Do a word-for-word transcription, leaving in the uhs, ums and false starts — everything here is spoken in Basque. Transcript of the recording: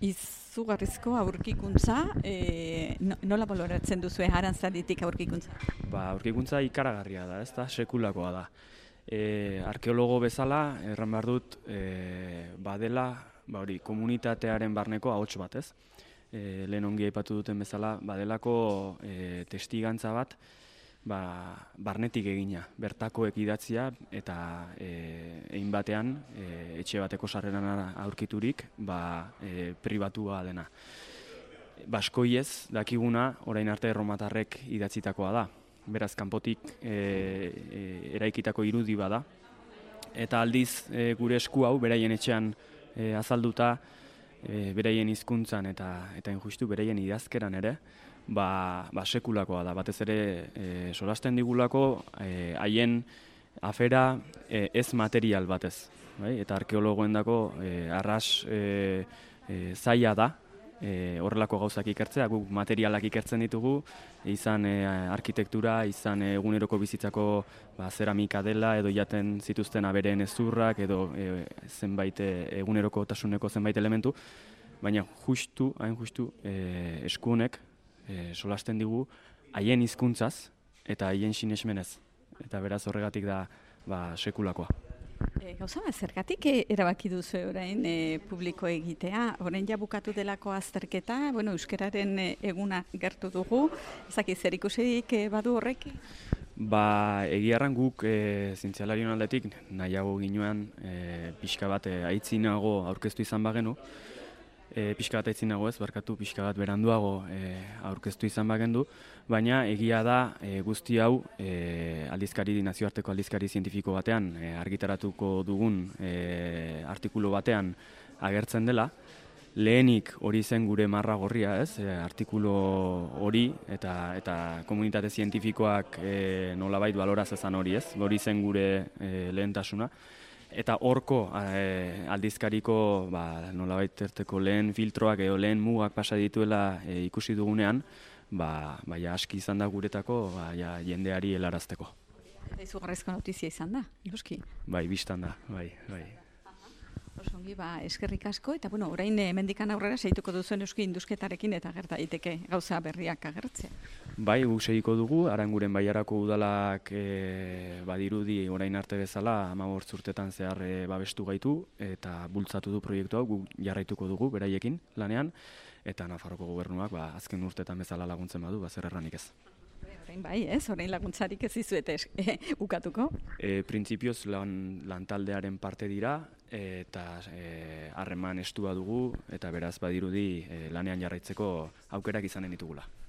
izugarrizko aurkikuntza, e, no, nola baloratzen duzue Aranzaditik aurkikuntza? Ba, aurkikuntza ikaragarria da, ez da, sekulakoa da. E, arkeologo bezala, erran behar dut, e, badela, ba hori, komunitatearen barneko ahots bat, ez? E, lehen ongi aipatu duten bezala, badelako e, testigantza bat, ba, barnetik egina, bertakoek idatzia eta e, egin batean e, etxe bateko sarreran aurkiturik ba, e, pribatua dena. Baskoiez dakiguna orain arte erromatarrek idatzitakoa da. Beraz, kanpotik e, e, eraikitako irudi bada. Eta aldiz e, gure esku hau beraien etxean e, azalduta, e, beraien hizkuntzan eta eta injustu beraien idazkeran ere, ba, ba sekulakoa da. Batez ere e, solasten digulako e, haien afera e, ez material batez. Bai? Eta arkeologoendako e, arras e, e, zaila da, E, horrelako gauzak ikertzea, guk materialak ikertzen ditugu, izan e, arkitektura, izan e, eguneroko bizitzako ba, zeramika dela, edo jaten zituzten abereen ezurrak, edo e, zenbait e, eguneroko tasuneko zenbait elementu, baina justu, hain justu, e, eskunek e, solasten digu haien hizkuntzaz eta haien sinesmenez. Eta beraz horregatik da ba, sekulakoa. E, gauza bat, zergatik e, erabaki duzu orain e, publiko egitea, orain ja bukatu delako azterketa, bueno, euskararen e, eguna gertu dugu, ezaki zer ikusirik e, badu horrekin? Ba, egiarran guk e, zientzialarion aldetik nahiago ginoan e, pixka bat e, aitzinago aurkeztu izan bagenu, e, pixka bat aitzinago ez, barkatu pixka bat beranduago e, aurkeztu izan bagendu, baina egia da e, guzti hau e, aldizkari, nazioarteko aldizkari zientifiko batean e, argitaratuko dugun e, artikulu batean agertzen dela. Lehenik hori zen gure marra gorria, ez, e, artikulu hori eta eta komunitate zientifikoak e, nolabait baloraz ezan hori, ez, hori zen gure e, lehentasuna. Eta horko e, aldizkariko ba, nolabait erteko lehen filtroak edo lehen mugak pasa dituela e, ikusi dugunean, ba, ba ja, aski izan da guretako ba, ja, jendeari helarazteko. Eta izugarrizko notizia izan da, noski? Bai, bistan da, bai, bai. Osongi, ba, eskerrik asko, eta bueno, orain hemendikan aurrera segituko duzuen euski indusketarekin eta gerta daiteke gauza berriak agertzea. Bai, guk segiko dugu, Aranguren Bailarako udalak e, badirudi orain arte bezala hamabost urtetan zehar e, babestu gaitu eta bultzatu du proiektu hau, guk jarraituko dugu beraiekin lanean, eta Nafarroko gobernuak ba, azken urtetan bezala laguntzen badu, ba, zer erranik ez. Orain bai, ez? Orain laguntzarik ez dizuete e, ukatuko? E, Printzipioz lan, lantaldearen parte dira, eta harreman e, estua dugu, eta beraz badirudi e, lanean jarraitzeko aukerak izanen ditugula.